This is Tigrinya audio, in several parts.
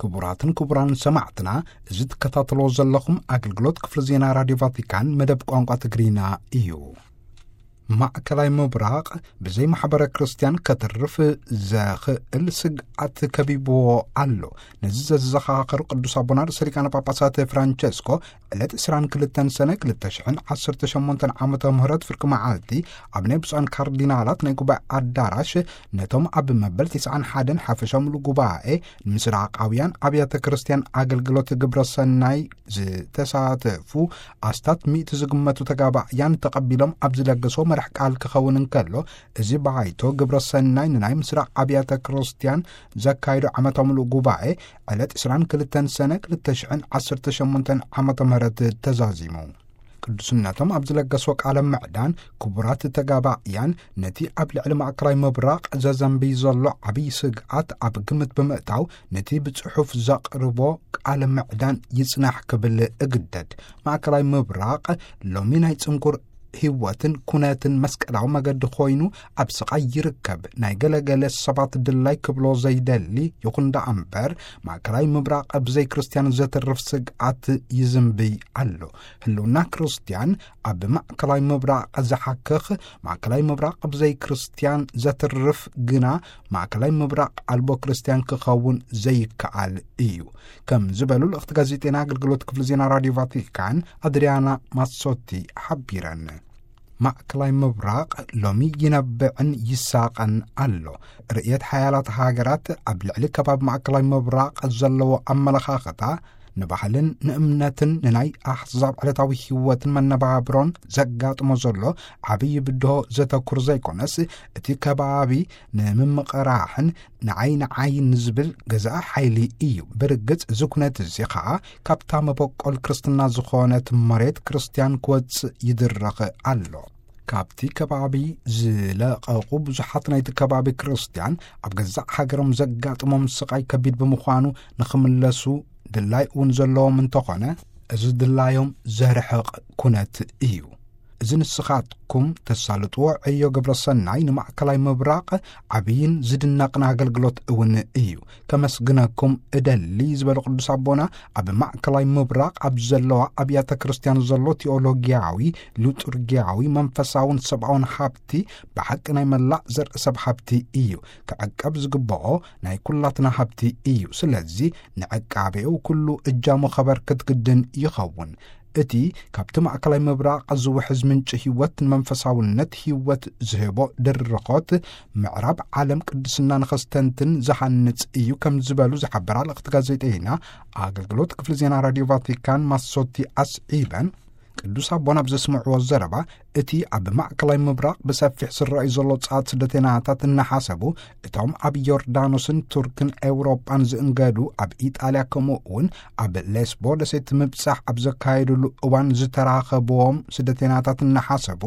ክቡራትን ክቡራን ሰማዕትና፣ እዚ ትከታተሎ ዘለኹም ኣገልግሎት ክፍሊ ዜና ራድዮ ቫቲካን መደብ ቋንቋ ትግርኛ እዩ። ማእከላይ ምብራቕ ብዘይ ማሕበረ ክርስቲያን ከትርፍ ዘኽእል ስግኣት ከቢብዎ ኣሎ። ነዚ ዘዘኻኸሩ ቅዱስ ኣቦና ርእሰ ሊቃነ ጳጳሳት ፍራንቸስኮ ዕለት ዕስራን ክልተን ሰነ ክልተ ሽሕን ዓሰርተ ሸሞንተን ዓመተ ምህረት ፍርቂ መዓልቲ ኣብ ናይ ብፁዓን ካርዲናላት ናይ ጉባኤ ኣዳራሽ ነቶም ኣብ መበል ትስዓን ሓደን ሓፈሻ ምሉእ ጉባኤ ንምስራቃውያን ኣብያተ ክርስቲያን ኣገልግሎት ግብረ ሰናይ ዝተሳተፉ ኣስታት ሚእቲ ዝግመቱ ተጋባእያን ተቐቢሎም ኣብ ዝለገሶ መራሕ ቃል ክኸውን እንከሎ፣ እዚ ባይቶ ግብረ ሰናይ ንናይ ምስራቕ ኣብያተ ክርስቲያን ዘካይዶ ዓመታዊ ምሉእ ጉባኤ ዕለት ዕስራን ክልተን ሰነ ክልተ ሽሕን ዓሰርተ ሸሞንተን ዓመተ ምህረት ተዛዚሙ። ቅዱስነቶም ኣብ ዝለገሶ ቃለ ምዕዳን፣ ክቡራት ተጋባእያን ነቲ ኣብ ልዕሊ ማእከላይ ምብራቕ ዘዘንብይ ዘሎ ዓብዪ ስግኣት ኣብ ግምት ብምእታው፣ ነቲ ብጽሑፍ ዘቕርቦ ቃለ ምዕዳን ይጽናሕ ክብል እግደድ። ማእከላይ ምብራቕ ሎሚ ናይ ጽንኩር ህይወትን ኩነትን መስቀላዊ መገዲ ኮይኑ ኣብ ስቓይ ይርከብ። ናይ ገለገለ ሰባት ድላይ ክብሎ ዘይደሊ ይኹን ደኣ እምበር፣ ማእከላይ ምብራቕ ብዘይ ክርስቲያን ዘትርፍ ስግኣት ይዝንብይ ኣሎ። ህልውና ክርስቲያን ኣብ ማእከላይ ምብራቕ ዝሓክኽ፣ ማእከላይ ምብራቕ ብዘይ ክርስቲያን ዘትርፍ ግና ማእከላይ ምብራቕ ኣልቦ ክርስቲያን ክኸውን ዘይከኣል እዩ፣ ከም ዝበሉ ልእኽቲ ጋዜጠና ኣገልግሎት ክፍሊ ዜና ራድዮ ቫቲካን ኣድሪያና ማሶቲ ሓቢረን። ማእከላይ ምብራቕ ሎሚ ይነብዕን ይሳቐን ኣሎ። ርእየት ሓያላት ሃገራት ኣብ ልዕሊ ከባቢ ማእከላይ ምብራቕ ዘለዎ ኣመለኻኽታ ንባህልን ንእምነትን ንናይ ኣሕዛብ ዕለታዊ ህይወትን መነባብሮን ዘጋጥሞ ዘሎ ዓብዪ ብድሆ ዘተኩር ዘይኮነስ፣ እቲ ከባቢ ንምምቕራሕን ንዓይ ንዓይ ንዝብል ገዛኢ ሓይሊ እዩ። ብርግጽ እዚ ኩነት እዚ ኸኣ ካብታ መበቆል ክርስትና ዝኾነት መሬት ክርስትያን ክወጽእ ይድረኽ ኣሎ። ካብቲ ከባቢ ዝለቐቑ ብዙሓት ናይቲ ከባቢ ክርስትያን ኣብ ገዛእ ሃገሮም ዘጋጥሞም ስቓይ ከቢድ ብምዃኑ ንኽምለሱ ድላይ እውን ዘለዎም እንተኾነ፣ እዚ ድላዮም ዘርሕቕ ኩነት እዩ። እዚ ንስኻትኩም ተሳልጥዎ ዕዮ ግብረ ሰናይ ንማእከላይ ምብራቕ ዓብይን ዝድነቕን ኣገልግሎት እውን እዩ። ከመስግነኩም እደሊ ዝበሉ ቅዱስ ኣቦና፣ ኣብ ማእከላይ ምብራቕ ኣብ ዘለዋ ኣብያተ ክርስቲያን ዘሎ ቴዎሎጊያዊ፣ ሊጡርጊያዊ፣ መንፈሳውን ሰብኣውን ሃብቲ ብሓቂ ናይ መላእ ዘርኢ ሰብ ሃብቲ እዩ። ክዕቀብ ዝግብኦ ናይ ኩላትና ሃብቲ እዩ። ስለዚ ንዕቃቤኡ ኩሉ እጃሙ ከበርክት ግድን ይኸውን። እቲ ካብቲ ማእከላይ ምብራቕ ዝውሕዝ ምንጪ ህይወት ንመንፈሳውነት ህይወት ዝህቦ ድርኾት ምዕራብ ዓለም ቅድስና ንኸስተንትን ዝሃንጽ እዩ ከም ዝበሉ ዝሓበራ ልእኽቲ ጋዜጠይና ኣገልግሎት ክፍሊ ዜና ራድዮ ቫቲካን ማሶቲ ኣስዒበን፣ ቅዱስ ኣቦና ኣብ ዘስምዕዎ ዘረባ፣ እቲ ኣብ ማእከላይ ምብራቕ ብሰፊሕ ዝረኣዩ ዘሎ ጻት ስደተናታት እናሓሰቡ፣ እቶም ኣብ ዮርዳኖስን ቱርክን ኤውሮጳን ዝእንገዱ ኣብ ኢጣልያ፣ ከምኡ እውን ኣብ ሌስቦ ደሴት ምብጻሕ ኣብ ዘካየዱሉ እዋን ዝተራኸብዎም ስደተናታት እናሓሰቡ፣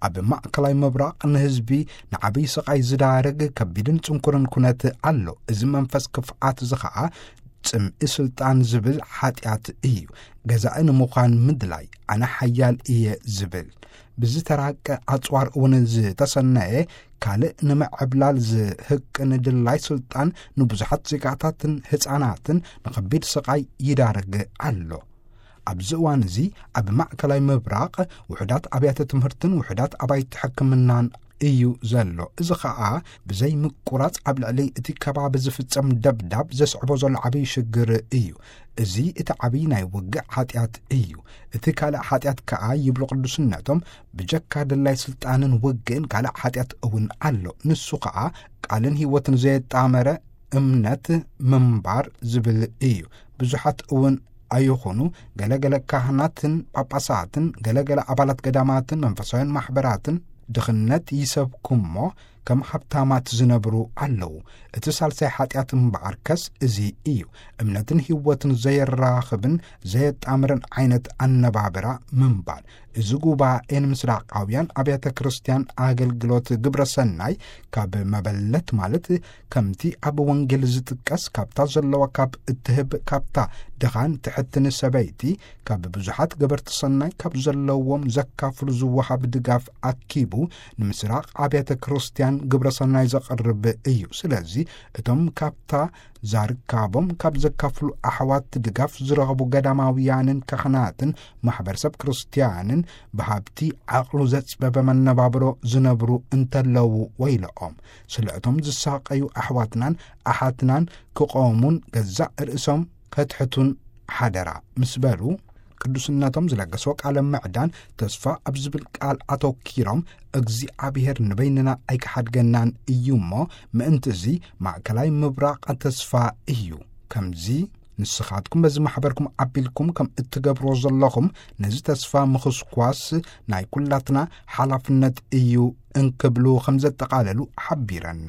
ኣብ ማእከላይ ምብራቕ ንህዝቢ ንዓብዪ ስቓይ ዝዳርግ ከቢድን ጽንኩርን ኩነት ኣሎ። እዚ መንፈስ ክፍኣት እዚ ኸኣ ጽምኢ ስልጣን ዝብል ሓጢኣት እዩ። ገዛኢ ንምዃን ምድላይ፣ ኣነ ሓያል እየ ዝብል፣ ብዝተራቀ ኣጽዋር እውን ዝተሰነየ፣ ካልእ ንምዕብላል ዝህቅን ድላይ ስልጣን ንብዙሓት ዜጋታትን ህጻናትን ንኸቢድ ስቓይ ይዳርግ ኣሎ። ኣብዚ እዋን እዚ ኣብ ማእከላይ ምብራቕ ውሑዳት ኣብያተ ትምህርትን ውሑዳት ኣባይቲ ሕክምናን እዩ ዘሎ። እዚ ኸኣ ብዘይ ምቁራጽ ኣብ ልዕሊ እቲ ከባቢ ዝፍጸም ደብዳብ ዘስዕቦ ዘሎ ዓብዪ ሽግር እዩ። እዚ እቲ ዓብዪ ናይ ውግእ ሓጢኣት እዩ። እቲ ካልእ ሓጢኣት ከኣ፣ ይብሉ ቅዱስነቶም፣ ብጀካ ድላይ ስልጣንን ውግእን ካልእ ሓጢኣት እውን ኣሎ። ንሱ ኸኣ ቃልን ህይወትን ዘየጣመረ እምነት ምንባር ዝብል እዩ። ብዙሓት እውን ኣይኹኑ፣ ገለገለ ካህናትን ጳጳሳትን፣ ገለገለ ኣባላት ገዳማትን መንፈሳውያን ማሕበራትን ድኽነት ይሰብኩ እሞ፣ ከም ሃብታማት ዝነብሩ ኣለዉ። እቲ ሳልሳይ ሓጢኣት እምበኣርከስ እዚ እዩ። እምነትን ህይወትን ዘየራኽብን ዘየጣምርን ዓይነት ኣነባብራ ምንባር። እዚ ጉባኤ ንምስራቃውያን ኣብያተ ክርስቲያን ኣገልግሎት ግብረ ሰናይ ካብ መበለት፣ ማለት ከምቲ ኣብ ወንጌል ዝጥቀስ፣ ካብታ ዘለዋ ካብ እትህብ፣ ካብታ ድኻን ትሕትን ሰበይቲ፣ ካብ ብዙሓት ገበርቲ ሰናይ ካብ ዘለዎም ዘካፍሉ ዝወሃብ ድጋፍ ኣኪቡ፣ ንምስራቕ ኣብያተ ክርስቲያን ግብረ ሰናይ ዘቕርብ እዩ። ስለዚ እቶም ካብታ ዛርካቦም ካብ ዘካፍሉ ኣሕዋት ድጋፍ ዝረኸቡ ገዳማውያንን ካህናትን ማሕበረሰብ ክርስትያንን ብሃብቲ ዓቕሉ ዘጽበበ መነባብሮ ዝነብሩ እንተለዉ ወይለኦም። ስለ እቶም ዝሳቐዩ ኣሕዋትናን ኣሓትናን ክቐሙን ገዛእ ርእሶም ከትሕቱን ሓደራ ምስ በሉ፣ ቅዱስነቶም ዝለገሶ ቃለ ምዕዳን ተስፋ ኣብ ዝብል ቃል ኣተኪሮም፣ እግዚኣብሔር ንበይንና ኣይክሓድገናን እዩ እሞ፣ ምእንቲ እዚ ማእከላይ ምብራቕ ተስፋ እዩ። ከምዚ ንስኻትኩም በዚ ማሕበርኩም ዓቢልኩም ከም እትገብርዎ ዘለኹም፣ ነዚ ተስፋ ምኽስኳስ ናይ ኩላትና ሓላፍነት እዩ እንክብሉ ከም ዘጠቓለሉ ሓቢረን።